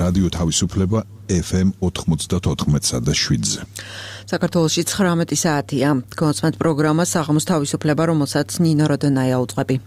რადიო თავისუფლება FM 94.7-ზე. საქართველოში 19 საათია. კონსმეთ პროგრამა საღამოს თავისუფლება, რომელსაც ნინო როდონაია უძღვები.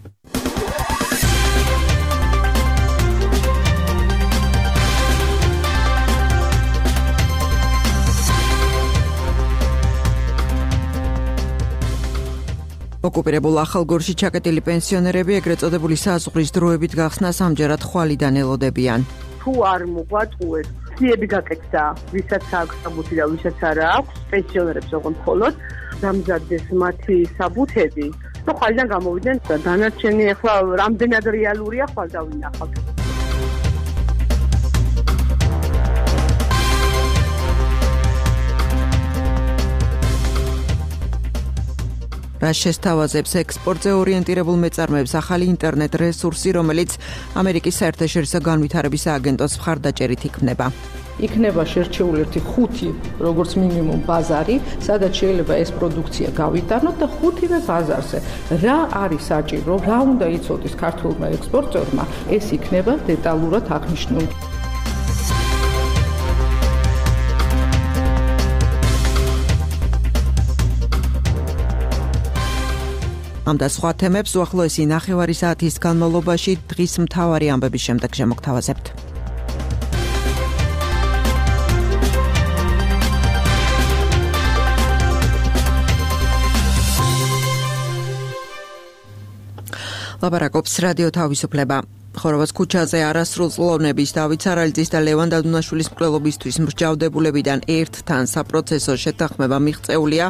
ოკუპირებულ ახალგორში ჩაკეტილი პენსიონერები ეგრეთ წოდებული საზღვრის დროებით გახსნას ამჯერად ხვალიდან ელოდებიან. თუ არ მოგვაწყვეთ, ხიები გაკეთდა, ვისაც აქვს საბუთი და ვისაც არ აქვს, პენსიონერებს ოღონდ მხოლოდ დამზადდეს მათი საბუთები და ხვალიდან გამოვიდნენ და დანარჩენი ახლა რამდენად რეალურია ხვალ დავინახავთ. რა შესთავაზებს ექსპორტზე ორიენტირებულ მეწარმეებს ახალი ინტერნეტ რესურსი, რომელიც ამერიკის საერთაშორისო განვითარების აგენტოს მხარდაჭერით იქმნება. იქნება შერჩეული ერთი 5 როგორც მინიმუმ ბაზარი, სადაც შეიძლება ეს პროდუქცია გავიტანოთ და 5-ვე ბაზარზე რა არის საჭირო, რა უნდა იცოდეს ქართულმა ექსპორტერმა, ეს იქნება დეტალურად აღნიშნული. ამ და სხვა თემებს უახლოესი ნახევარი საათის განმავლობაში დღის მთავარი ამბების შემდეგ შემოგთავაზებთ. ლაპარაკობს რადიო თავისუფლება. ხოროვას ქუჩაზე არასრულწლოვნების დავით სარალიძის და ლევან დადუნაშვილის მკვლელობისთვის მსჯავრდებულებიდან ერთთან საპროცესო შეთანხმება მიღწეულია,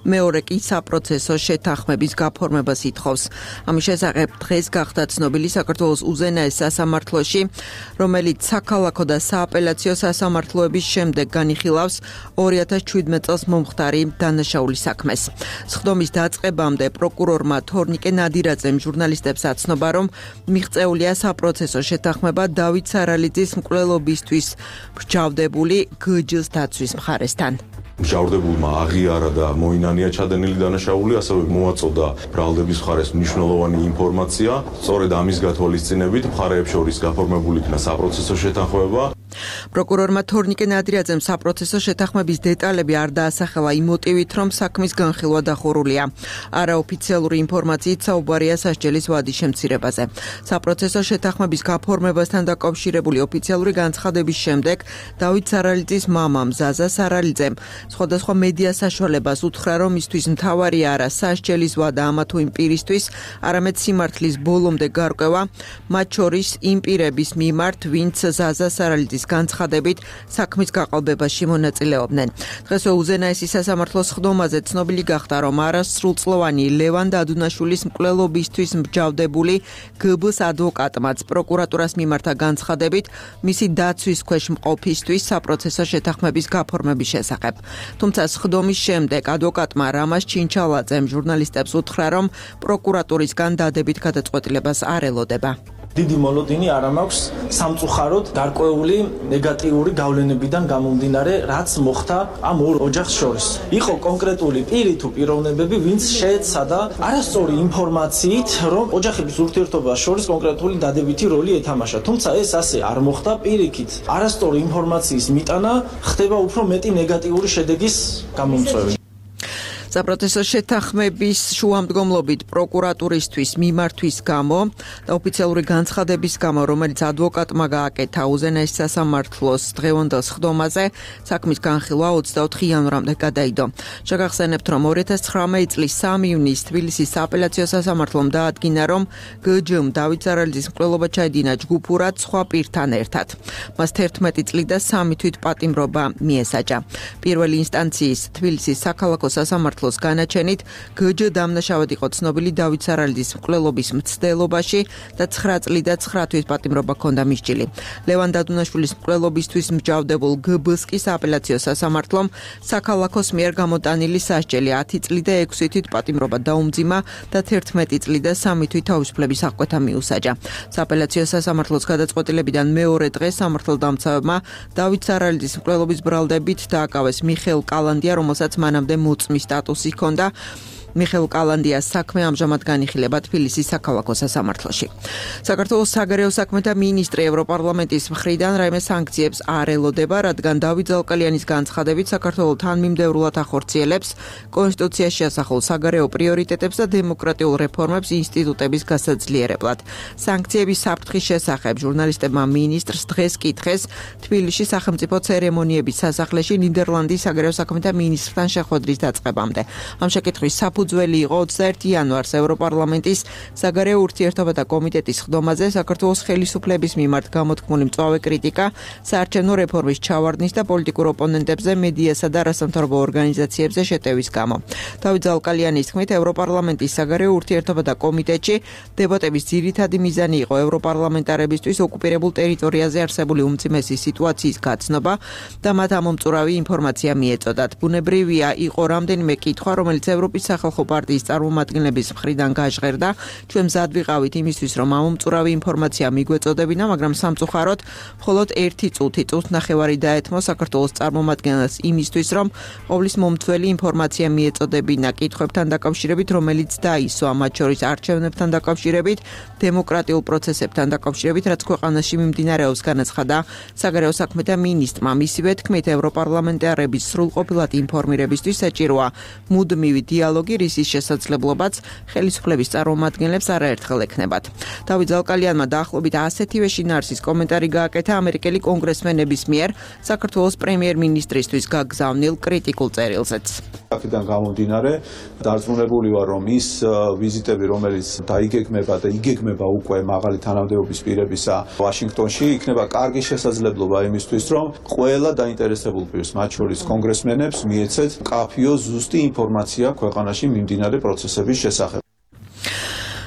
მეორე კი საპროცესო შეთანხმების გაფორმებას ითხოვს. ამის შესახებ დღეს გახდა ცნობილი საქართველოს უზენაეს სასამართლოში, რომელიც საქალაქო და სააპელაციო სასამართლოების შემდეგ განიხილავს 2017 წელს მომხდარი დანაშაულის საქმეს. სხდომის დაწყებამდე პროკურორმა თორნიკე ნადირაძემ ჟურნალისტებს აცნობა, რომ მიღწეულია საპროცესო შეთანხმება დავით სარალიძის მკვლელობისთვის მსჯავრდებული გჯ-ს დაცვის მხარესთან. მსჯავრდებულმა აღიარა და მოინანია ჩადენილი დანაშაული, ასევე მოაწოდა ბრალდების მხარეს მნიშვნელოვანი ინფორმაცია. სწორედ ამის გათვალისწინებით მხარეებს შორის გაფორმებული იქნა საპროცესო შეთანხმება. პროკურორმა თორნიკე ნადირაძემ საპროცესო შეთანხმების დეტალები არ დაასახელა იმ მოტივით, რომ საქმის განხილვა დახურულია. არაოფიციალური ინფორმაციით საუბარია სასჯელის ვადის შემცირებაზე. საპროცესო შეთანხმების გაფორმებასთან დაკავშირებული ოფიციალური განცხადების შემდეგ დავით სარალიძის მამამ ზაზა სარალიძემ სხვადასხვა მედია საშუალებას უთხრა, რომ მისთვის მთავარია არა სასჯელის ვადა ამა თუ იმ პირისთვის, არამედ სიმართლის ბოლომდე გარკვევა, მათ შორის იმ პირების მიმართ, ვინც ზაზა სარალიძის განცხადებით საქმის გაყალბებაში მონაწილეობდნენ. დღესვე უზენაესი სასამართლოს სხდომაზე ცნობილი გახდა, რომ არასრულწლოვანი ლევან დადუნაშვილის მკვლელობისთვის მსჯავრდებული გბ-ს ადვოკატმაც პროკურატურას მიმართა განცხადებით მისი დაცვის ქვეშ მყოფისთვის საპროცესო შეთანხმების გაფორმების შესახებ. თუმცა სხდომის შემდეგ ადვოკატმა რამაზ ჩინჩალაძემ ჟურნალისტებს უთხრა, რომ პროკურატურისგან დადებით გადაწყვეტილებას არ ელოდება. დიდი მოლოდინი არ მაქვს სამწუხაროდ გარკვეული ნეგატიური გავლენებიდან გამომდინარე, რაც მოხდა ამ ორ ოჯახს შორის. იყო კონკრეტული პირი თუ პიროვნებები, ვინც შეეცადა არასწორი ინფორმაციით, რომ ოჯახების ურთიერთობას შორის კონკრეტული დადებითი როლი ეთამაშა. თუმცა ეს ასე არ მოხდა, პირიქით არასწორი ინფორმაციის მიტანა ხდება უფრო მეტი ნეგატიური შედეგის გამომწვევი. საპროცესო შეთანხმების შუამდგომლობით პროკურატურისთვის მიმართვის გამო და ოფიციალური განცხადების გამო, რომელიც ადვოკატმა გააკეთა უზენაეს სასამართლოს დღევანდელ სხდომაზე, საქმის განხილვა 24 იანვრამდე გადაიდო. შეგახსენებთ, რომ 2019 წლის 3 ივნისს თბილისის სააპელაციო სასამართლომ დაადგინა, რომ გჯ-მ დავით სარალიძის მკვლელობა ჩაედინა ჯგუფურად სხვა პირთან ერთად. მას 11 წლი და 3 თვით პატიმრობა მიესაჯა. პირველი ინსტანციის თბილისის საქალაქო სასამართლო განაჩენით გჯ დამნაშავედ იყო ცნობილი დავით სარალიძის მკვლელობის მცდელობაში და 9 წლი და 9 თვის პატიმრობა ჰქონდა მისჯილი. ლევან დადუნაშვილის მკვლელობისთვის მსჯავრდებულ გბ-ს კი სააპელაციო სასამართლომ საქალაქოს მიერ გამოტანილი სასჯელი 10 წლი და 6 თვით პატიმრობა დაუმძიმა და 11 წლი და 3 თვით თავისუფლების აღკვეთა მიუსაჯა. სააპელაციო სასამართლოს გადაწყვეტილებიდან მეორე დღეს სამართალდამცავებმა დავით სარალიძის მკვლელობის ბრალდებით დააკავეს მიხეილ კალანდია, რომელსაც მანამდე მოწმის სტატუსი ჰქონდა. მიხეილ კალანდიას საქმე ამჟამად განიხილება თბილისის საქალაქო სასამართლოში. საქართველოს საგარეო საქმეთა მინისტრი ევროპარლამენტის მხრიდან რაიმე სანქციებს არ ელოდება, რადგან დავით ზალკალიანის განცხადებით საქართველო თანმიმდევრულად ახორციელებს კონსტიტუციაში ასახულ საგარეო პრიორიტეტებს და დემოკრატიულ რეფორმებს ინსტიტუტების გასაძლიერებლად. სანქციების საფრთხის შესახებ ჟურნალისტებმა მინისტრს დღეს კითხეს თბილისში სახელმწიფო ცერემონიების სასახლეში ნიდერლანდის საგარეო საქმეთა მინისტრთან შეხვედრის დაწყებამდე. ამ შეკითხვის საფუძველი იყო 21 იანვარს ევროპარლამენტის საგარეო ურთიერთობათა კომიტეტის ხდომაზე საქართველოს ხელისუფლების მიმართ გამოთქმული მწვავე კრიტიკა საარჩევნო რეფორმის ჩავარდნის და პოლიტიკურ ოპონენტებზე მედიასა და არასამთავრობო ორგანიზაციებზე შეტევის გამო. დავით ზალკალიანის თქმით, ევროპარლამენტის საგარეო ურთიერთობათა კომიტეტში დებატების ძირითადი მიზანი იყო ევროპარლამენტარებისთვის ოკუპირებულ ტერიტორიაზე არსებული უმძიმესი სიტუაციის გაცნობა და მათ ამომწურავი ინფორმაცია მიეწოდათ. ბუნებრივია, იყო რამდენიმე კითხვა, რომელიც ევროპის სახალხო პარტიის წარმომადგენლების მხრიდან გაჟღერდა. ჩვენ მზად ვიყავით იმისთვის, რომ ამომწურავი ინფორმაცია მიგვეწოდებინა, მაგრამ სამწუხაროდ მხოლოდ 1 წუთნახევარი დაეთმო საქართველოს წარმომადგენელს იმისთვის, რომ ყოვლის მომთველი ინფორმაცია მიეწოდებინა კითხვებთან დაკავშირებით, რომელიც დაისვა, მათ შორის არჩევნებთან დაკავშირებით, დემოკრატიულ პროცესებთან დაკავშირებით, რაც ქვეყანაში მიმდინარეობს, განაცხადა საგარეო საქმეთა მინისტრმა. მისივე თქმით, ევროპარლამენტარების სრულყოფილად ინფორმირებისთვის საჭიროა მუდმივი დიალოგი, რისის შესაძლებლობაც ხელისუფლების წარმომადგენლებს არაერთხელ ექნებათ. დავით ზალკალიანმა დაახლოებით ასეთივე შინაარსის კომენტარი გააკეთა ამერიკელი კონგრესმენების მიერ საქართველოს პრემიერ-მინისტრისთვის გაგზავნილ კრიტიკულ წერილზეც. აქედან გამომდინარე, დარწმუნებული ვარ, რომ ის ვიზიტები, რომელიც დაიგეგმება და იგეგმება უკვე მაღალი თანამდებობის პირებისა ვაშინგტონში, იქნება კარგი შესაძლებლობა იმისთვის, რომ ყველა დაინტერესებულ პირს, მათ შორის კონგრესმენებს, მიეცეთ მკაფიო ზუსტი ინფორმაცია ქვეყანაში მიმდინარე პროცესების შესახებ.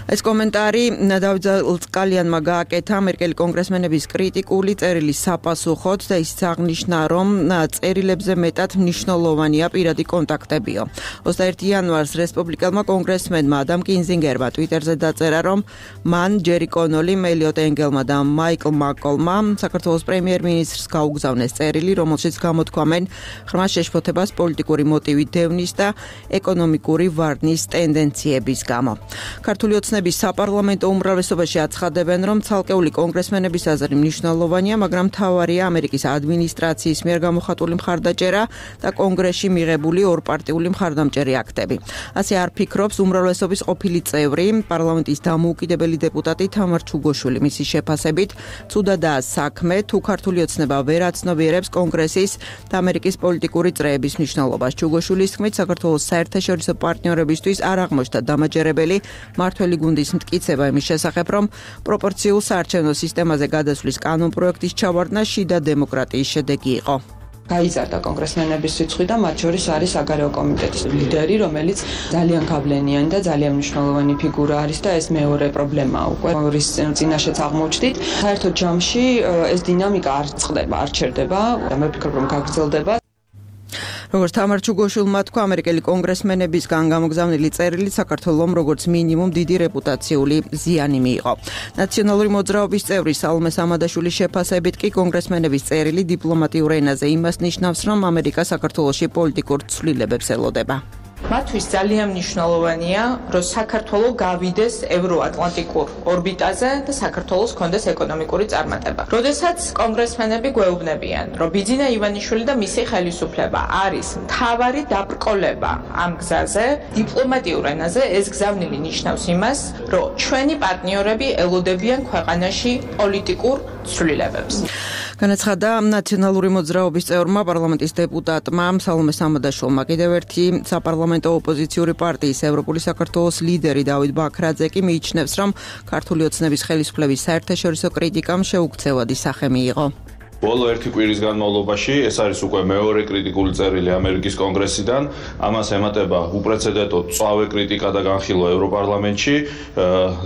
ეს კომენტარი დავით ზალკალიანმა გააკეთა ამერიკელი კონგრესმენების კრიტიკული წერილის საპასუხოდ და ისიც აღნიშნა, რომ წერილებზე მეტად მნიშვნელოვანია პირადი კონტაქტებიო. 21 იანვარს რესპუბლიკელმა კონგრესმენმა ადამ კინზინგერმა ტვიტერზე დაწერა, რომ მან ჯერი კონოლი, მელიოტ ენგელმა და მაიკლ მაკოლმა საქართველოს პრემიერ-მინისტრს გაუგზავნეს წერილი, რომელშიც გამოთქვამენ ღრმა შეშფოთებას პოლიტიკური მოტივით დევნის და ეკონომიკური ვარდნის ტენდენციების გამო. ქართული ოცნების საპარლამენტო უმრავლესობაში აცხადებენ, რომ ცალკეული კონგრესმენების აზრი მნიშვნელოვანია, მაგრამ მთავარია ამერიკის ადმინისტრაციის მიერ გამოხატული მხარდაჭერა და კონგრესში მიღებული ორპარტიული მხარდამჭერი აქტები. ასე არ ფიქრობს უმრავლესობის ყოფილი წევრი, პარლამენტის დამოუკიდებელი დეპუტატი თამარ ჩუგოშვილი. მისი შეფასებით, ცუდადაა საქმე, თუ ქართული ოცნება ვერ აცნობიერებს კონგრესის და ამერიკის პოლიტიკური წრეების მნიშვნელობას. ჩუგოშვილის თქმით, საქართველოს საერთაშორისო პარტნიორებისთვის არ აღმოჩნდა დამაჯერებელი მართველი გუნდის მტკიცება იმის შესახებ, რომ პროპორციულ საარჩევნო სისტემაზე გადასვლის კანონპროექტის ჩავარდნა შიდა დემოკრატიის შედეგი იყო. გაიზარდა კონგრესმენების რიცხვი და მათ შორის არის საგარეო კომიტეტის ლიდერი, რომელიც ძალიან გავლენიანი და ძალიან მნიშვნელოვანი ფიგურა არის და ეს მეორე პრობლემაა უკვე, რის წინაშეც აღმოჩნდით. საერთოდ ჯამში ეს დინამიკა არ წყდება, არ ჩერდება და მე ვფიქრობ, რომ გაგრძელდება. როგორც თამარ ჩუგოშვილმა თქვა, ამერიკელი კონგრესმენებისგან გამოგზავნილი წერილი საქართველოს როგორც მინიმუმ დიდი რეპუტაციული ზიანი მიიღო. ნაციონალური მოძრაობის წევრი სალომე სამადაშვილის შეფასებით კი კონგრესმენების წერილი დიპლომატიურ ენაზე იმას ნიშნავს, რომ ამერიკა საქართველოში პოლიტიკურ ცვლილებებს ელოდება. მათთვის ძალიან მნიშვნელოვანია, რომ საქართველო გავიდეს ევროატლანტიკურ ორბიტაზე და საქართველოს კონდეს ეკონომიკური წარმატება. როდესაც კონგრესმენები გვეუბნებიან, რომ ბიძინა ივანიშვილი და მისი ხელისუფლება არის მთავარი დაბრკოლება ამ გზაზე, დიპლომატიურ ენაზე ეს გზავნილი ნიშნავს იმას, რომ ჩვენი პარტნიორები ელოდებიან ქვეყანაში პოლიტიკურ ცვლილებებს. განაცხადა ნაციონალური მოძრაობის წევრმა პარლამენტის დეპუტატმა სალომე სამადაშვილმა. კიდევ ერთი საპარლამენტო ოპოზიციური პარტიის ევროპული საქართველოს ლიდერი დავით ბაქრაძე კი მიიჩნევს, რომ ქართული ოცნების ხელისუფლების საერთაშორისო კრიტიკამ შეუქცევადი სახე მიიღო. ბოლო ერთი კვირის განმავლობაში ეს არის უკვე მეორე კრიტიკული წერილი ამერიკის კონგრესიდან. ამას ემატება უპრეცედენტო მწვავე კრიტიკა და განხილვა ევროპარლამენტში.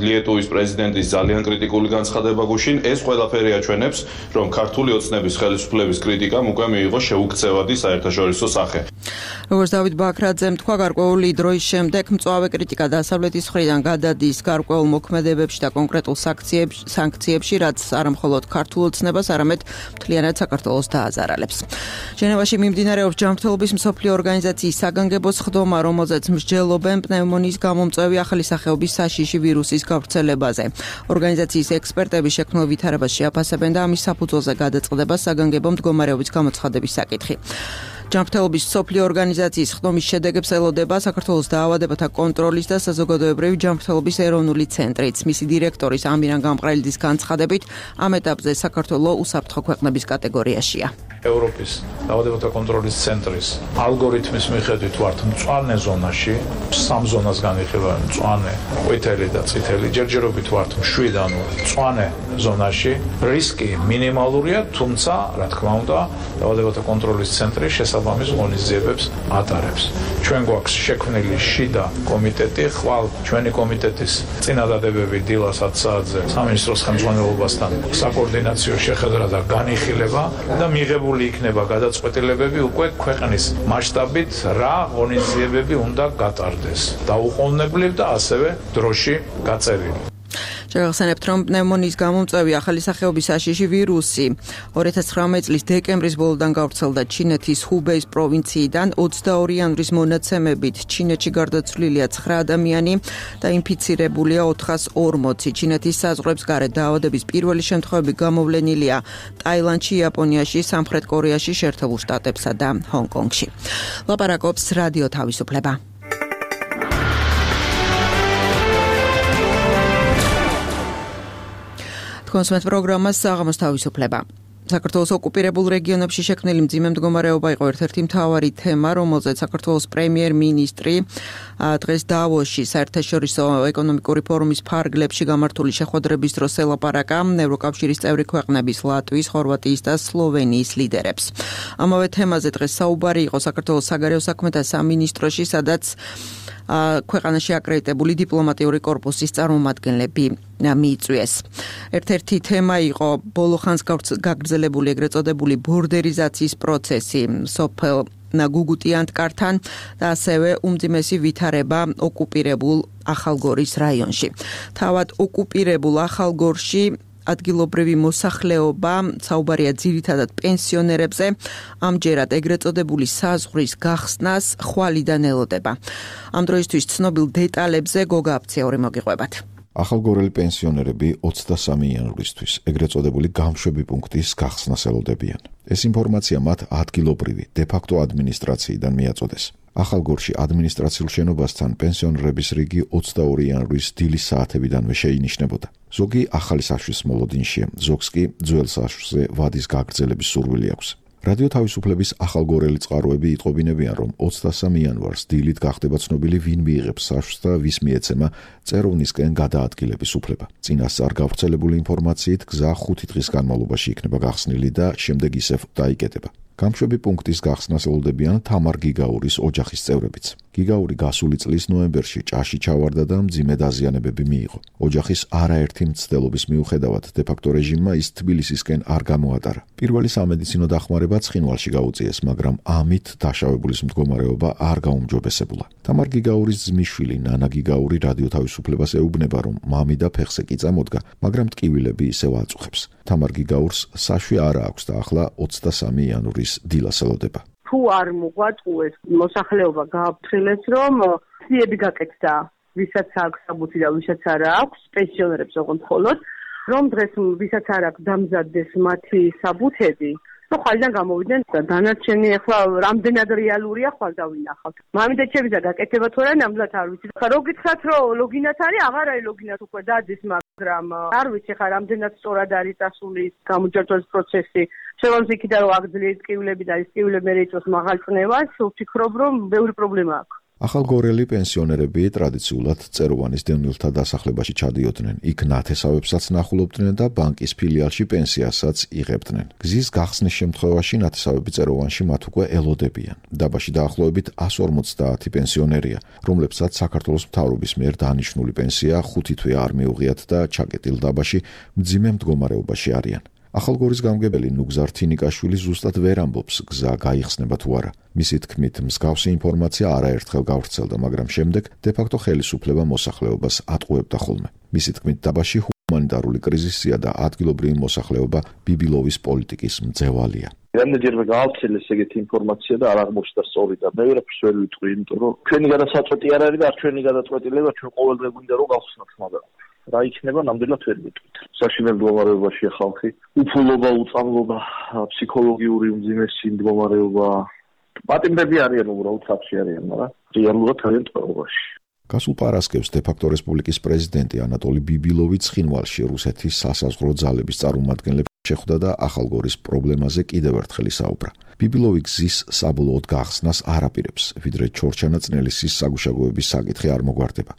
ლიეტუვის პრეზიდენტის ძალიან კრიტიკული განცხადება გუშინ. ეს ყველაფერი აჩვენებს, რომ ქართული ოცნების ხელისუფლების კრიტიკამ უკვე მიიღო შეუქცევადი საერთაშორისო სახე. როგორც დავით ბაქრაძემ თქვა, გარკვეული დროის შემდეგ მწვავე კრიტიკა დასავლეთის მხრიდან გადადის გარკვეულ მოქმედებებში და კონკრეტულ სანქციებში, რაც არამხოლოდ ქართულ ოცნებას, არამედ მთლიანად საქართველოს დააზარალებს. ჟენევაში მიმდინარეობს ჯანმრთელობის მსოფლიო ორგანიზაციის საგანგებო სხდომა, რომელზეც მსჯელობენ პნევმონიის გამომწვევი ახალი სახეობის საშიში ვირუსის გავრცელებაზე. ორგანიზაციის ექსპერტები შექმნილ ვითარებას შეაფასებენ და ამის საფუძველზე გადაწყდება საგანგებო მდგომარეობის გამოცხადების საკითხი. ჯანმრთელობის მსოფლიო ორგანიზაციის სხდომის შედეგებს ელოდება საქართველოს დაავადებათა კონტროლის და საზოგადოებრივი ჯანმრთელობის ეროვნული ცენტრიც. მისი დირექტორის ამირან გამყრელიძის განცხადებით, ამ ეტაპზე საქართველო უსაფრთხო ქვეყნების კატეგორიაშია. ევროპის დაავადებათა კონტროლის ცენტრის ალგორითმის მიხედვით ვართ მწვანე ზონაში, 3 ზონას განიხილავენ: მწვანე, ყვითელი და წითელი. ჯერჯერობით ვართ მშვიდ, ანუ მწვანე ზონაში. რისკი მინიმალურია, თუმცა, რა თქმა უნდა, დაავადებათა კონტროლის ცენტრი შესაბამის ღონისძიებებს ატარებს. ჩვენ გვაქვს შექმნილი შიდა კომიტეტი, ხვალ ჩვენი კომიტეტის წინადადებები დილას 10 საათზე სამინისტროს ხელმძღვანელობასთან საკოორდინაციო შეხვედრა და განიხილება და მიღებული იქნება გადაწყვეტილებები უკვე ქვეყნის მასშტაბით რა ღონისძიებები უნდა გატარდეს. დაუყოვნებლივ და ასევე დროში გაწერილი. შევახსენებთ, რომ პნევმონიის გამომწვევი ახალი სახეობის საშიში ვირუსი 2019 წლის დეკემბრის ბოლოდან გავრცელდა ჩინეთის ჰუბეის პროვინციიდან. 22 იანვრის მონაცემებით ჩინეთში გარდაცვლილია 9 ადამიანი და ინფიცირებულია 440. ჩინეთის საზღვრებს გარეთ დაავადების პირველი შემთხვევები გამოვლენილია ტაილანდში, იაპონიაში, სამხრეთ კორეაში, შეერთებულ შტატებსა და ჰონგ-კონგში. ლაპარაკობს რადიო თავისუფლება. კონსუმენტ პროგრამას საღამოს თავისუფლება. საქართველოს ოკუპირებულ რეგიონებში შექმნილი მძიმე მდგომარეობა იყო ერთ-ერთი მთავარი თემა, რომელზეც საქართველოს პრემიერ-მინისტრი დღეს დავოსში საერთაშორისო ეკონომიკური ფორუმის ფარგლებში გამართული შეხვედრების დროს ელაპარაკა ევროკავშირის წევრი ქვეყნების ლატვიის, ხორვატიის და სლოვენიის ლიდერებს. ამავე თემაზე დღეს საუბარი იყო საქართველოს საგარეო საქმეთა სამინისტროში, სადაც ქვეყანაში აკრედიტებული დიპლომატიური კორპუსის წარმომადგენლები მიიწვიეს. ერთ-ერთი თემა იყო ბოლო ხანს გაგრძელებული ეგრეთ წოდებული ბორდერიზაციის პროცესი სოფელ გუგუტიანტკართან და ასევე უმძიმესი ვითარება ოკუპირებულ ახალგორის რაიონში. თავად ოკუპირებულ ახალგორში ადგილობრივი მოსახლეობა, საუბარია ძირითადად პენსიონერებზე, ამჯერად ეგრეთ წოდებული საზღვრის გახსნას ხვალიდან ელოდება. ამ დროისთვის ცნობილ დეტალებზე გოგა აფციური მოგიყვებათ. ახალგორელი პენსიონერები 23 იანვრისთვის ეგრეთ წოდებული გამშვები პუნქტის გახსნას ელოდებიან. ეს ინფორმაცია მათ ადგილობრივი დე-ფაქტო ადმინისტრაციიდან მიაწოდეს. ახალგორში ადმინისტრაციულ შენობასთან პენსიონერების რიგი 22 იანვრის დილის საათებიდანვე შეინიშნებოდა. ზოგი ახალი საშვის მოლოდინშია, ზოგს კი ძველ საშვზე ვადის გაგრძელების სურვილი აქვს. რადიო თავისუფლების ახალგორელი წყაროები იტყობინებიან, რომ 23 იანვარს დილით გახდება ცნობილი ვინ მიიღებს საშვს და ვის მიეცემა წეროვნისკენ გადაადგილების უფლება. წინასწარ გავრცელებული ინფორმაციით გზა 5 დღის განმავლობაში იქნება გახსნილი და შემდეგ ისევ დაიკეტება. გამშვები პუნქტის გახსნას ელოდებიან თამარ გიგაურის ოჯახის წევრებიც. გიგაური გასული წლის ნოემბერში ჭაში ჩავარდა და მძიმე დაზიანებები მიიღო. ოჯახის არაერთი მცდელობის მიუხედავად დე-ფაქტო რეჟიმმა ის თბილისისკენ არ გამოატარა. პირველი სამედიცინო დახმარება ცხინვალში გაუწიეს, მაგრამ ამით დაშავებულის მდგომარეობა არ გაუმჯობესებულა. თამარ გიგაურის ძმისშვილი ნანა გიგაური რადიო თავისუფლებას ეუბნება, რომ მამი და ფეხზე კი წამოდგა, მაგრამ ტკივილები ისევ აწუხებს. თამარ გიგაურს საშვი არ აქვს და ახლა 23 იანვრის დილას ელოდება. თუ არ მოგვაწყვეს მოსახლეობა გააფრთხილეს, რომ სიები გაკეთდა, ვისაც აქვს საბუთი და ვისაც არ აქვს, პენსიონერებს ოღონდ მხოლოდ, რომ დღეს ვისაც არ აქვს დამზადდეს მათი საბუთები, ну ხალიდან გამოვიდნენ და დანარჩენი ახლა რამდენად რეალურია ხვალ დავინახავთ. მამიდაჩების და გაკეთება თუ არა ნამდვილად არ ვიცი. ხა რო გითხრათ რომ ლოგინად არის, აღარ არის ლოგინად უკვე დადის, მაგრამ არ ვიცი ხა რამდენად სწორად არის წასული გამოჯერწვის პროცესი. შევამს იქიდან რომ აგძლიერეთ ტკივილები და ის ტკივილები მე რეწოს მაღალ წნევას, ვფიქრობ რომ ბევრი პრობლემა აქვს. ახალგორელი პენსიონერები ტრადიციულად წეროვანის დევნილთა დასახლებაში ჩადიოდნენ. იქ ნათესავებსაც ნახულობდნენ და ბანკის ფილიალში პენსიასაც იღებდნენ. გზის გახსნის შემთხვევაში ნათესავები წეროვანში მათ უკვე ელოდებიან. დაბაში დაახლოებით 150 პენსიონერია, რომლებსაც საქართველოს მთავრობის მიერ დანიშნული პენსია 5 თვე არ მიუღიათ და ჩაკეტილ დაბაში მძიმე მდგომარეობაში არიან. ახალგორის გამგებელი ნუგზარ თინიკაშვილი ზუსტად ვერ ამბობს, გზა გაიხსნება თუ არა. მისი თქმით, მსგავსი ინფორმაცია არაერთხელ გავრცელდა, მაგრამ შემდეგ დე-ფაქტო ხელისუფლება მოსახლეობას ატყუებდა ხოლმე. მისი თქმით, დაბაში ჰუმანიტარული კრიზისია და ადგილობრივი მოსახლეობა ბიბილოვის პოლიტიკის მძევალია. რამდენჯერმე გაავრცელეს ეგეთი ინფორმაცია და არ აღმოჩნდა სწორი და მე ვერაფერს ვერ ვიტყვი, იმიტომ რომ ჩვენი გადასაწყვეტი არ არის და არ ჩვენი გადაწყვეტილება, ჩვენ ყოველდღე გვინდა რომ გავხსნათ, მაგრამ რა იქნება ნამდვილად ვერ ვიტყვით. საშინელ მდგომარეობაშია ხალხი, უფულობა, უწამლობა, ფსიქოლოგიური უმძიმესი მდგომარეობა. პატიმრები არიან უბრალოდ საფში არიან, მაგრამ რეალურად არიან ტყვეობაში. გასულ პარასკევს დე-ფაქტო რესპუბლიკის პრეზიდენტი ანატოლი ბიბილოვი ცხინვალში რუსეთის სასაზღვრო ძალების წარმომადგენლებს შეხვდა და ახალგორის პრობლემაზე კიდევ ერთხელ ისაუბრა. ბიბილოვი გზის საბოლოოდ გახსნას არ აპირებს, ვიდრე ჩორჩანაწნელისის საგუშაგოების საკითხი არ მოგვარდება.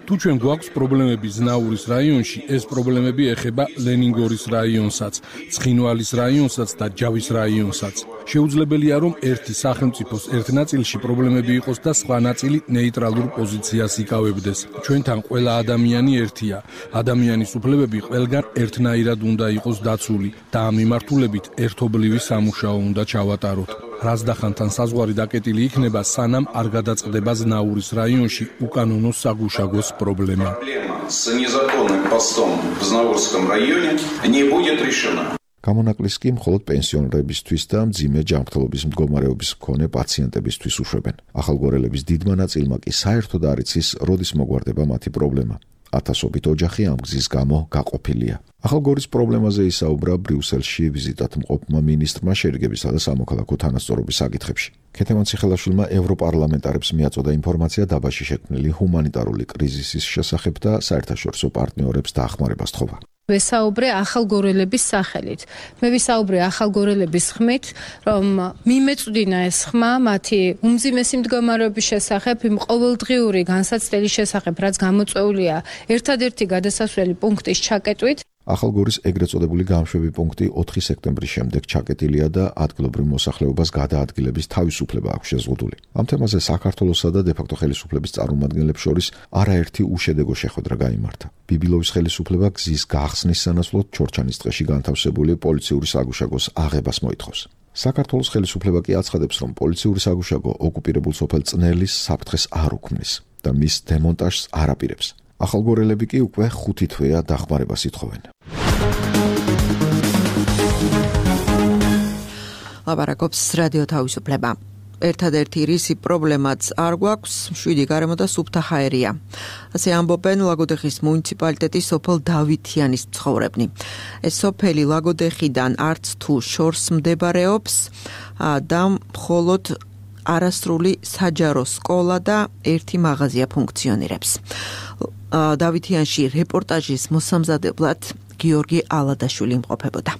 თუ ჩვენ გვაქვს პრობლემები ზნაურის რაიონში, ეს პრობლემები ეხება ლენინგორის რაიონსაც, ცხინვალის რაიონსაც და ჯავის რაიონსაც. შეუძლებელია, რომ ერთი სახელმწიფოს ერთ ნაწილში პრობლემები იყოს და სხვა ნაწილი ნეიტრალურ პოზიციას იკავებდეს. ჩვენთან ყველა ადამიანი ერთია. ადამიანის უფლებები ყველგან ერთნაირად უნდა იყოს დაცული და ამ მიმართულებით ერთობლივი სამუშაო უნდა ჩავატაროთ. რაზდახანთან საზღვარი დაკეტილი იქნება, სანამ არ გადაწყდება ზნაურის რაიონში უკანონო საგუშაგოს პრობლემა. გამონაკლისს კი მხოლოდ პენსიონერებისთვის და მძიმე ჯანმრთელობის მდგომარეობის მქონე პაციენტებისთვის უშვებენ. ახალგორელების დიდმა ნაწილმა კი საერთოდ არ იცის, როდის მოგვარდება მათი პრობლემა. ათასობით ოჯახი ამ გზის გამო გაყოფილია. ახალგორის პრობლემაზე ისაუბრა ბრიუსელში ვიზიტად მყოფმა მინისტრმა შერიგებისა და სამოქალაქო თანასწორობის საკითხებში. ქეთევან ციხელაშვილმა ევროპარლამენტარებს მიაწოდა ინფორმაცია დაბაში შექმნილი ჰუმანიტარული კრიზისის შესახებ და საერთაშორისო პარტნიორებს დაახმარებას თხოვა. ვესაუბრე ახალგორელების სახელით. მე ვისაუბრე ახალგორელების ხმით, რომ მიმეწვდინა ეს ხმა მათი უმძიმესი მდგომარეობის შესახებ, იმ ყოველდღიური განსაცდელის შესახებ, რაც გამოწვეულია ერთადერთი გადასასვლელი პუნქტის ჩაკეტვით. ახალგორის ეგრეთ წოდებული გამშვები პუნქტი 4 სექტემბრის შემდეგ ჩაკეტილია და ადგილობრივ მოსახლეობას გადაადგილების თავისუფლება აქვს შეზღუდული. ამ თემაზე საქართველოსა და დე-ფაქტო ხელისუფლების წარმომადგენლებს შორის არაერთი უშედეგო შეხვედრა გაიმართა. ბიბილოვის ხელისუფლება გზის გახსნის სანაცვლოდ ჩორჩანის ტყეში განთავსებული პოლიციური საგუშაგოს აღებას მოითხოვს. საქართველოს ხელისუფლება კი აცხადებს, რომ პოლიციური საგუშაგო ოკუპირებულ სოფელ წნელის საფრთხეს არ უქმნის და მის დემონტაჟს არ აპირებს. ახალგორელები კი უკვე 5 თვეა დახმარებას ითხოვენ. ლაპარაკობს რადიო თავისუფლება. ერთადერთი რისი პრობლემაც არ გვაქვს, 7 გარემო და სუფთა ჰაერია. ასე ამბობენ ლაგოდეხის მუნიციპალიტეტის სოფელ დავითიანის მცხოვრებნი. ეს სოფელი ლაგოდეხიდან არც თუ შორს მდებარეობს და მხოლოდ არასრული საჯარო სკოლა და ერთი მაღაზია ფუნქციონირებს. დავითიანში რეპორტაჟის მოსამზადებლად გიორგი ალადაშვილი იმყოფებოდა.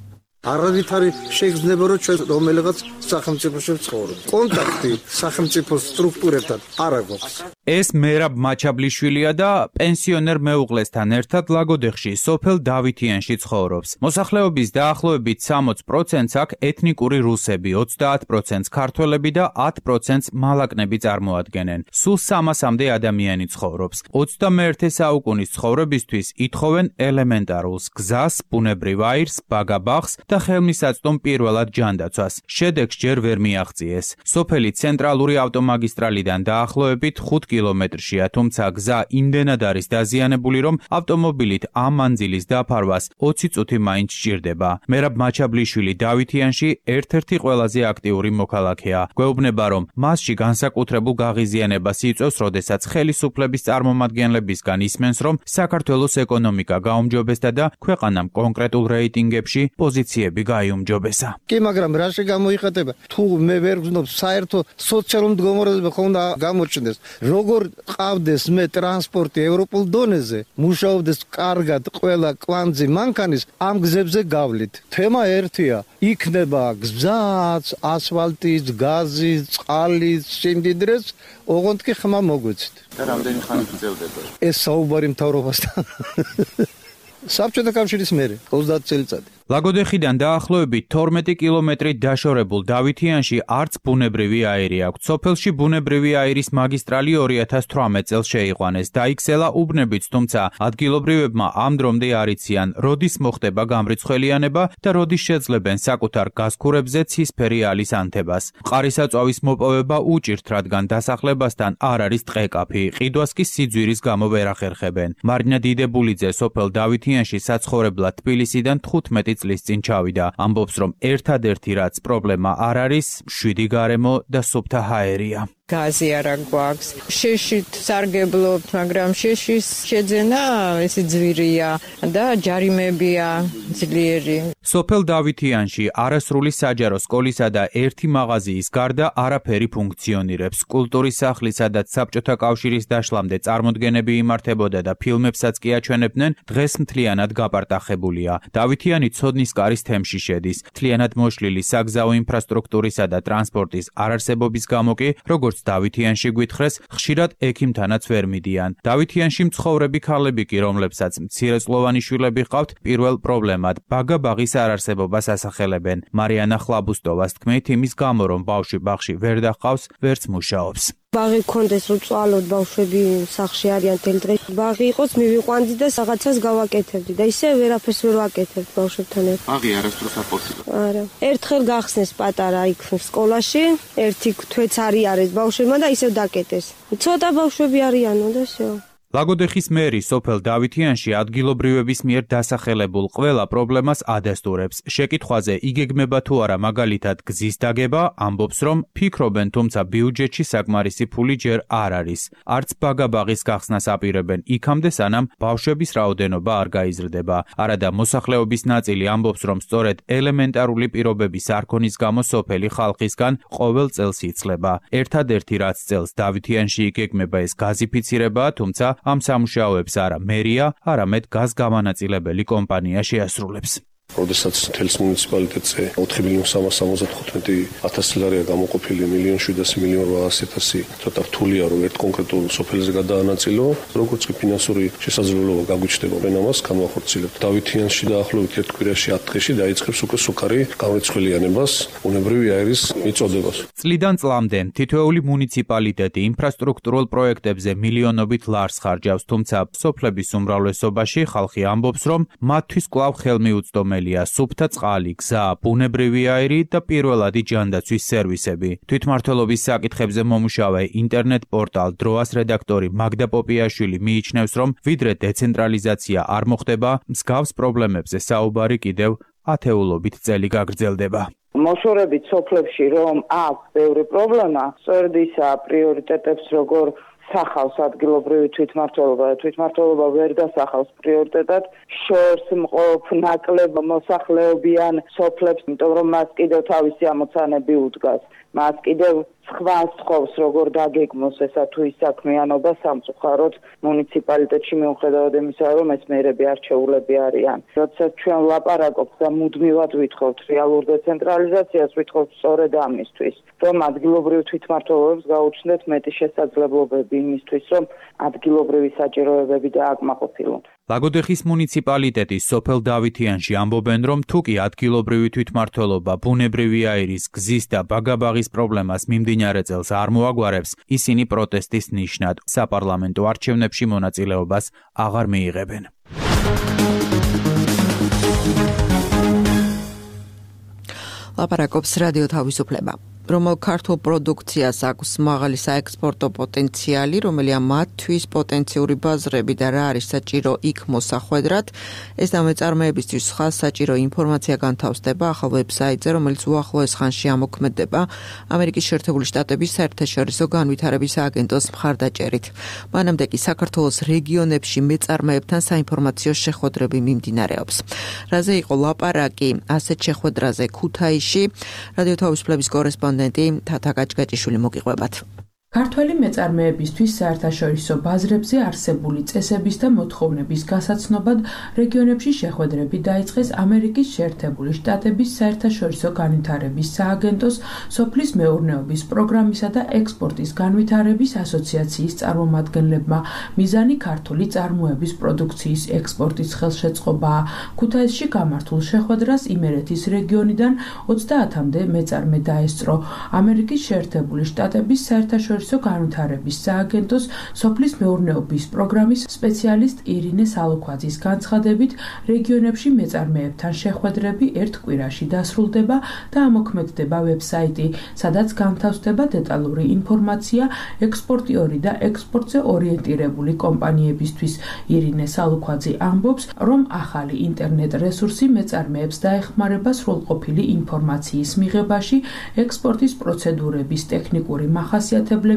არავითარი შეგრძნება, რომ ჩვენ რომელიღაც სახელმწიფოში ვცხოვრობ. კონტაქტი სახელმწიფო სტრუქტურებთან არ აქვს. ეს მერაბ მაჩაბლიშვილია და პენსიონერ მეუღლესთან ერთად ლაგოდეხში სოფელ დავითიანში ცხოვრობს. მოსახლეობის დაახლოებით 60%-ს აქ ეთნიკური რუსები, 30%-ს ქართველები და 10%-ს მალაკნები წარმოადგენენ. სულ 300-მდე ადამიანი ცხოვრობს. 21 საუკუნის ცხოვრებისთვის ითხოვენ ელემენტარულს: გზას, ბუნებრივ აირს, ბაგაბაღს და ხელმისაწვდომ პირველად ჯანდაცვას. შედეგს ჯერ ვერ მიაღწიეს. სოფელი ცენტრალური ავტომაგისტრალიდან დაახლოებით 5 კილომეტრშია, თუმცა გზა იმდენად არის დაზიანებული, რომ ავტომობილით ამ მანძილის დაფარვას 20 წუთი მაინც სჭირდება. მერაბ მაჩაბლიშვილი დავითიანში ერთ-ერთი ყველაზე აქტიური მოქალაქეა. გვეუბნება, რომ მასში განსაკუთრებულ გაღიზიანებას იწვევს, როდესაც ხელისუფლების წარმომადგენლებისგან ისმენს, რომ საქართველოს ეკონომიკა გაუმჯობესდა და ქვეყანამ კონკრეტულ რეიტინგებში პოზიციები გაიუმჯობესა. კი, მაგრამ რაში გამოიხატება? თუ მე ვერ ვგზნობს საერთო სოციალურ მდგომარეობა ხონდა გამოჩნდეს. როგორ ყავდეს მე ტრანსპორტი ევროპულ დონეზე, მუშაობდეს კარგად ყველა კვანძი მანქანის ამ გზებზე გავლით. თემა ერთია, იქნება გზაც, ასფალტიც, გაზი, წყალი, სიმდიდრეც, ოღონდ კი ხმა მოგვეცით. და რამდენი ხანი გრძელდება? ეს საუბარი მთავრობასთან. საბჭოთა კავშირის მერე 30 წელიწადი. ლაგოდეხიდან დაახლოებით 12 კილომეტრით დაშორებულ დავითიანში არც ბუნებრივი აირი აქვს. სოფელში ბუნებრივი აირის მაგისტრალი 2018 წელს შეიყვანეს. დაიქცელა უბნებიც, თუმცა ადგილობრივებმა ამ დრომდე არ იციან, როდის მოხდება გამრიცხველიანება და როდის შეძლებენ საკუთარ გაზქურებზე ცისფერი ალის ანთებას. მყარისაწვავის მოპოვება უჭირთ, რადგან დასახლებასთან არ არის ტყეკაფი, ყიდვას კი სიძვირის გამო ვერ ახერხებენ. მარინა დიდებულიძე სოფელ დავითიანში საცხოვრებლად თბილისიდან 15 წლის წინ ჩავიდა. ამბობს, რომ ერთადერთი რაც პრობლემა არ არის, შვიდი გარემო და სუფთა ჰაერია. გაზი არა გვაქვს. შეშით სარგებლობთ, მაგრამ შეშის შეძენა ესე ძვირია და ჯარიმებია ძლიერი. სოფელ დავითიანში არასრული საჯარო სკოლისა და ერთი მაღაზიის გარდა არაფერი ფუნქციონირებს. კულტურის სახლი, სადაც საბჭოთა კავშირის დაშლამდე წარმოდგენები იმართებოდა და ფილმებსაც კი აჩვენებდნენ, დღეს მთლიანად გაპარტახებულია. დავითიანი ცოდნის კარის თემში შედის. მთლიანად მოშლილი საგზაო ინფრასტრუქტურისა და ტრანსპორტის არარსებობის გამო კი, როგორც დავითიანში გვითხრეს, ხშირად ექიმთანაც ვერ მიდიან. დავითიანში მცხოვრები ქალები კი, რომლებსაც მცირეწლოვანი შვილები ჰყავთ, პირველ პრობლემად ბაგა-ბაღის არარსებობას ასახელებენ. მარიანა ხლაბუსტოვას თქმით, იმის გამო, რომ ბავშვი ბაღში ვერ დაჰყავს, ვერც მუშაობს. ბაღი გქონდეს, რომ წვალოთ, ბავშვები სახლში არიან თელ დღე. ბაღი იყოს, მივიყვანდი და რაღაცას გავაკეთებდი და ისე ვერაფერს ვერ ვაკეთებ ბავშვებთან ერთად. ბაღი არასდროს არ ხორციელდება. არა. ერთხელ გახსნეს პატარა იქ სკოლაში, ერთი თვეც არიარეს ბავშვებმა და ისევ დაკეტეს. ცოტა ბავშვები არიანო და всё. ლაგოდეხის მერი სოფელ დავითიანში ადგილობრივების მიერ დასახელებულ ყველა პრობლემას ადასტურებს. შეკითხვაზე იგეგმება თუ არა მაგალითად გზის დაგება, ამბობს, რომ ფიქრობენ, თუმცა ბიუჯეტში საკმარისი ფული ჯერ არ არის. არც ბაგა-ბაღის გახსნას აპირებენ იქამდე, სანამ ბავშვების რაოდენობა არ გაიზრდება. არადა მოსახლეობის ნაწილი ამბობს, რომ სწორედ ელემენტარული პირობების არ ქონის გამო სოფელი ხალხისგან ყოველ წელს იცლება. ერთადერთი რაც წელს დავითიანში იგეგმება ეს გაზიფიცირებაა, თუმცა ამ სამუშაოებს არა მერია, არამედ გაზგამანაწილებელი კომპანია შეასრულებს. როდესაც თელს მუნიციპალიტეტზე 4.375.000 ლარია გამოყოფილი 1.700.000 ცოტა რთულია, რომ ერთ კონკრეტულ სოფელზე გადაანაწილო, როგორც კი ფინანსური შესაძლებლობა გაგვიჩნდება, ამას განვახორციელებთ. დავითიანში დაახლოებით ერთ კვირაში 10 დღეში დაიწყებს უკვე სუქარი გამრიცხველიანებას, ბუნებრივი აირის მიწოდებას. წლიდან წლამდე თითოეული მუნიციპალიტეტი ინფრასტრუქტურულ პროექტებზე მილიონობით ლარს ხარჯავს, თუმცა სოფლების უმრავლესობაში ხალხი ამბობს, რომ მათთვის კვლავ ხელმიუწვდომელი სუფთა წყალი, გზა, ბუნებრივი აირი და პირველადი ჯანდაცვის სერვისები. თვითმმართველობის საკითხებზე მომუშავე ინტერნეტ პორტალ დროას რედაქტორი მაგდა პოპიაშვილი მიიჩნევს, რომ ვიდრე დეცენტრალიზაცია არ მოხდება, მსგავს პრობლემებზე საუბარი კიდევ ათეულობით წელი გაგრძელდება. მოშორებით სოფლებში რომ აქვს ბევრი პრობლემა, სწორედ ისა პრიორიტეტებს როგორ სახავს ადგილობრივი თვითმმართველობა ვერ დასახავს პრიორიტეტად შორს მყოფ ნაკლებ მოსახლეობიან სოფლებს, იმიტომ რომ მას კიდევ თავისი ამოცანები უდგას. მას კიდევ სხვა სთხოვს, როგორ დაგეგმოს ესა თუ ის საქმიანობა სამწუხაროდ მუნიციპალიტეტში მიუხედავად იმისა, რომ ეს მერები არჩეულები არიან. როდესაც ჩვენ ვლაპარაკობთ და მუდმივად ვითხოვთ რეალურ დეცენტრალიზაციას, ვითხოვთ სწორედ ამისთვის, რომ ადგილობრივ თვითმმართველობებს გაუჩნდეთ მეტი შესაძლებლობები იმისთვის, რომ ადგილობრივი საჭიროებები დააკმაყოფილონ. ლაგოდეხის მუნიციპალიტეტის სოფელ დავითიანში ამბობენ, რომ თუკი ადგილობრივი თვითმმართველობა ბუნებრივი აირის, გზის და ბაგა-ბაღის პრობლემას მიმდინარე წელს არ მოაგვარებს, ისინი პროტესტის ნიშნად საპარლამენტო არჩევნებში მონაწილეობას აღარ მიიღებენ. ლაპარაკობს რადიო თავისუფლება. რომელ ქართულ პროდუქციას აქვს მაღალი საექსპორტო პოტენციალი, რომელია მათთვის პოტენციური ბაზრები და რა არის საჭირო იქ მოსახვედრად, ეს დამეწარმეებისთვის სხვა საჭირო ინფორმაცია განთავსდება ახალ ვებსაიტზე, რომელიც უახლოეს ხანში ამოქმედება ამერიკის შეერთებული შტატების საერთაშორისო განვითარების აგენტოს მხარდაჭერით. მანამდე კი საქართველოს რეგიონებში მეწარმეებთან საინფორმაციო შეხვედრები მიმდინარეობს. რაზე იყო ლაპარაკი ასეთ შეხვედრაზე ქუთაისში, რადიო თავისუფლების კორესპონდენტი თათა გაჭგაჭიშვილი მოგიყვებათ. ქართველი მეწარმეებისთვის საერთაშორისო ბაზრებზე არსებული წესების და მოთხოვნების გასაცნობად რეგიონებში შეხვედრები დაიწყეს ამერიკის შეერთებული შტატების საერთაშორისო განვითარების სააგენტოს, სოფლის მეურნეობის პროგრამისა და ექსპორტის განვითარების ასოციაციის წარმომადგენლებმა. მიზანი ქართული წარმოების პროდუქციის ექსპორტის ხელშეწყობაა. ქუთაისში გამართულ შეხვედრას იმერეთის რეგიონიდან 30-მდე მეწარმე დაესწრო. ამერიკის შეერთებული შტატების საერთაშორისო განვითარების სააგენტოს სოფლის მეურნეობის პროგრამის სპეციალისტ ირინე სალოქვაძის განცხადებით, რეგიონებში მეწარმეებთან შეხვედრები ერთ კვირაში დასრულდება და ამოქმედდება ვებსაიტი, სადაც განთავსდება დეტალური ინფორმაცია ექსპორტიორი და ექსპორტზე ორიენტირებული კომპანიებისთვის. ირინე სალოქვაძე ამბობს, რომ ახალი ინტერნეტ რესურსი მეწარმეებს დაეხმარება სრულყოფილი ინფორმაციის მიღებაში, ექსპორტის პროცედურების ტექნიკური მახასიათებლების,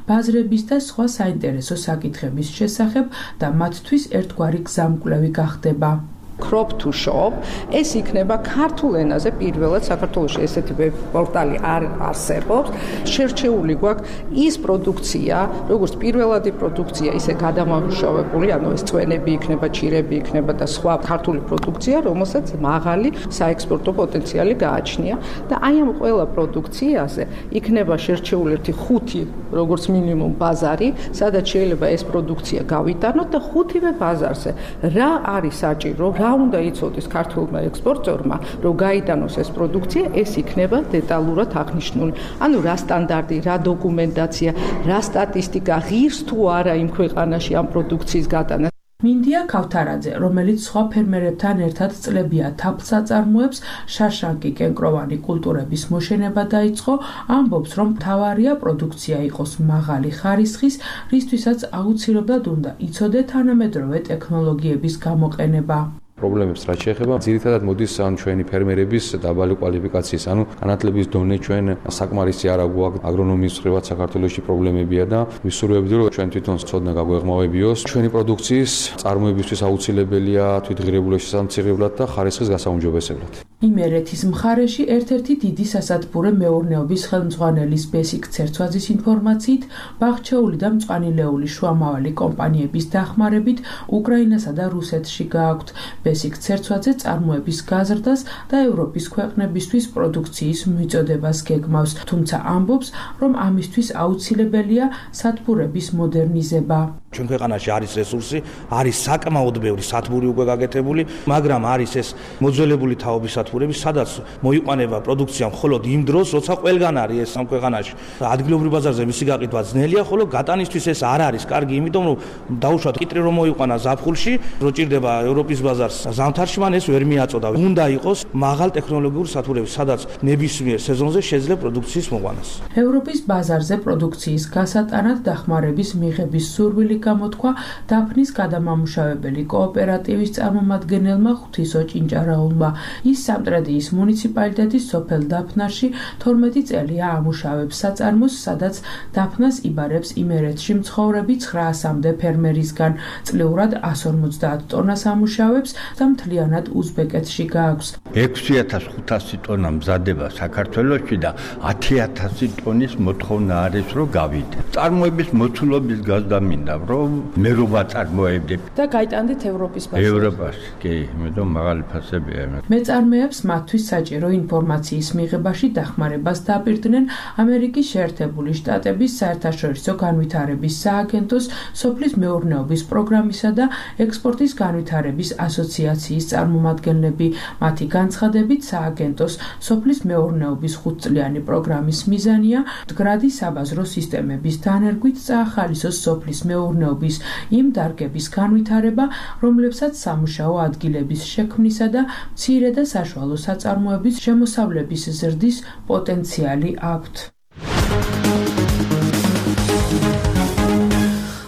ბაზრების და სხვა საინტერესო საკითხების შესახებ და მათთვის ერთგვარი გზამკვლევი გახდება. Crop to shop ეს იქნება ქართულ ენაზე პირველად საქართველოში ესეთი პორტალი არ არსებობს. შერჩეული გვაქვს ის პროდუქცია, როგორც პირველადი პროდუქცია, ისე გადამამუშავებული, ანუ ეს წვენები იქნება, ჩირები იქნება და სხვა ქართული პროდუქცია, რომელსაც მაღალი საექსპორტო პოტენციალი გააჩნია და აი ამ ყველა პროდუქციაზე იქნება შერჩეული ერთი 5 როგორც მინიმუმ ბაზარი, სადაც შეიძლება ეს პროდუქცია გავიტანოთ და 5-ვე ბაზარზე რა არის საჭირო, რა უნდა იცოდეს ქართულმა ექსპორტერმა, რომ გაიტანოს ეს პროდუქცია, ეს იქნება დეტალურად აღნიშნული. ანუ რა სტანდარტი, რა დოკუმენტაცია, რა სტატისტიკა, ღირს თუ არა იმ ქვეყანაში ამ პროდუქციის გატანა. მინდია ქავთარაძე, რომელიც სხვა ფერმერებთან ერთად წლებია თაფლს აწარმოებს, შარშანკი კენკროვანი კულტურების მოშენება დაიწყო, ამბობს, რომ მთავარია პროდუქცია იყოს მაღალი ხარისხის, რისთვისაც აუცილებლად უნდა იცოდე თანამედროვე ტექნოლოგიების გამოყენება. პრობლემებს რაც შეეხება, ძირითადად მოდის ჩვენი ფერმერების დაბალი კვალიფიკაციის, განათლების დონე ჩვენ საკმარისი არ აქვს აგრონომიის მხრივაც საქართველოში პრობლემებია და ვისურვებდი რომ ჩვენ თვითონ ცოდნა გაგვეღმავებიოს ჩვენი პროდუქციის წარმოებისთვის აუცილებელია თვითღირებულების შესამცირებლად და ხარისხის გასაუმჯობესებლად. იმერეთის მხარეში ერთ-ერთი დიდი სასათბურე მეურნეობის ხელმძღვანელის ბესიკ ცერცვაძის ინფორმაციით, ბაღჩეული და მწვანილეული შუამავალი კომპანიების დახმარებით უკრაინასა და რუსეთში გააქვთ. ბესიკ ცერცვაძე წარმოების გაზრდას და ევროპის ქვეყნებისთვის პროდუქციის მიწოდებას გეგმავს, თუმცა ამბობს, რომ ამისთვის აუცილებელია სათბურების მოდერნიზება. ჩვენ ქვეყანაში არის რესურსი, არის საკმაოდ ბევრი სათბური უკვე გაკეთებული, მაგრამ არის ეს მოძველებული თაობის სათბურები, სადაც მოიყვანება პროდუქცია მხოლოდ იმ დროს, როცა ყველგან არის ეს ამ ქვეყანაში. ადგილობრივ ბაზარზე მისი გაყიდვა ძნელია, ხოლო გატანისთვის ეს არ არის კარგი, იმიტომ რომ დაუშვათ კიტრი რომ მოიყვანა ზაფხულში, რო ჭირდება ევროპის ბაზარს ზამთარში, მან ეს ვერ მიაწოდა. უნდა იყოს მაღალ ტექნოლოგიური სათბურები, სადაც ნებისმიერ სეზონზე შეიძლება პროდუქციის მოყვანას. ევროპის ბაზარზე პროდუქციის გასატანად დახმარების მიღების სურვილი გამოთქვა დაფნის გადამამუშავებელი კოოპერატივის წარმომადგენელმა ღვთისო ჭინჭარაულმა. ის სამტრედიის მუნიციპალიტეტის სოფელ დაფნაში 12 წელია ამუშავებს საწარმოს, სადაც დაფნას იბარებს იმერეთში მცხოვრები 900-მდე ფერმერისგან. წლიურად 150 ტონას ამუშავებს და მთლიანად უზბეკეთში გააქვს. 6500 ტონა მზადება საქართველოში და 10000 ტონის მოთხოვნა არის რომ გავიდე. წარმოების მოცულობის გაზდა მინდა რომ მე რო ვაწარმოებდე და გაიტანდეთ ევროპის ბაზარში. ევროპაში, კი, იმიტომ მაღალი ფასებია. მეწარმეებს მათთვის საჭირო ინფორმაციის მიღებაში დახმარებას დაპირდნენ ამერიკის შეერთებული შტატების საერთაშორისო განვითარების სააგენტოს, სოფლის მეურნეობის პროგრამისა და ექსპორტის განვითარების ასოციაციის წარმომადგენლები. მათი განცხადებით, სააგენტოს სოფლის მეურნეობის 5-წლიანი პროგრამის მიზანია მდგრადი საბაზრო სისტემების დანერგვით წაახალისოს სოფლის მეურნეობის იმ დარგების განვითარება, რომლებსაც სამუშაო ადგილების შექმნისა და მცირე და საშუალო საწარმოების შემოსავლების ზრდის პოტენციალი აქვთ.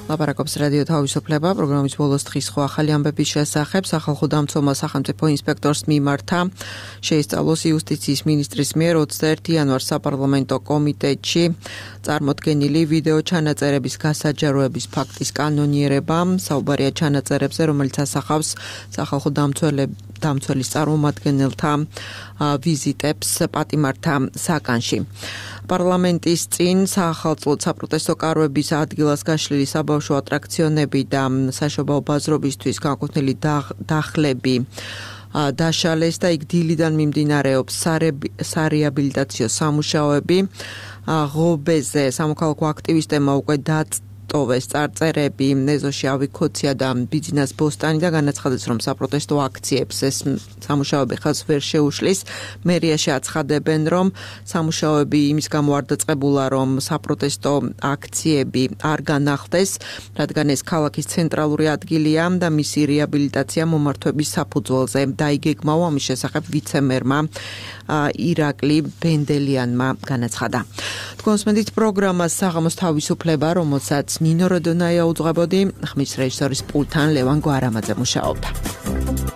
ლაპარაკობს რადიო თავისუფლება, პროგრამის ბოლოს დღის სხვა ახალი ამბების შესახებ. სახალხო დამცველმა სახელმწიფო ინსპექტორს მიმართა შეისწავლოს იუსტიციის მინისტრის მიერ 21 იანვარს საპარლამენტო კომიტეტში წარმოდგენილი ვიდეო ჩანაწერების გასაჯაროების ფაქტის კანონიერება. საუბარია ჩანაწერებზე, რომელიც ასახავს სახალხო დამცველის წარმომადგენელთა ვიზიტებს პატიმართა საკანში. პარლამენტის წინ საახალწლოდ საპროტესტო კარვების ადგილას გაშლილი საბავშვო ატრაქციონები და საშობაო ბაზრობისთვის განკუთვნილი დახლები დაშალეს და იქ დილიდან მიმდინარეობს სარეაბილიტაციო სამუშაოები. ღობეზე სამოქალაქო აქტივისტებმა უკვე ტოვეს წარწერები ნეზოში ავიქოცია და ბიძინას ბოსტანი და განაცხადეს, რომ საპროტესტო აქციებს ეს სამუშაოები ხაზს ვერ შეუშლის. მერიაში აცხადებენ, რომ სამუშაოები იმის გამო არ დაწყებულა, რომ საპროტესტო აქციები არ განახლდეს, რადგან ეს ქალაქის ცენტრალური ადგილია და მისი რეაბილიტაცია მომართვების საფუძველზე დაიგეგმავა. ამის შესახებ ვიცე-მერმა ირაკლი ბენდელიანმა განაცხადა. თქვენს მედით პროგრამას საღამოს თავისუფლება, რომელსაც ნინო როდონაია უძღვებოდი, ხმის რეჟისორის პულტთან ლევან გვარამაძე მუშაობდა.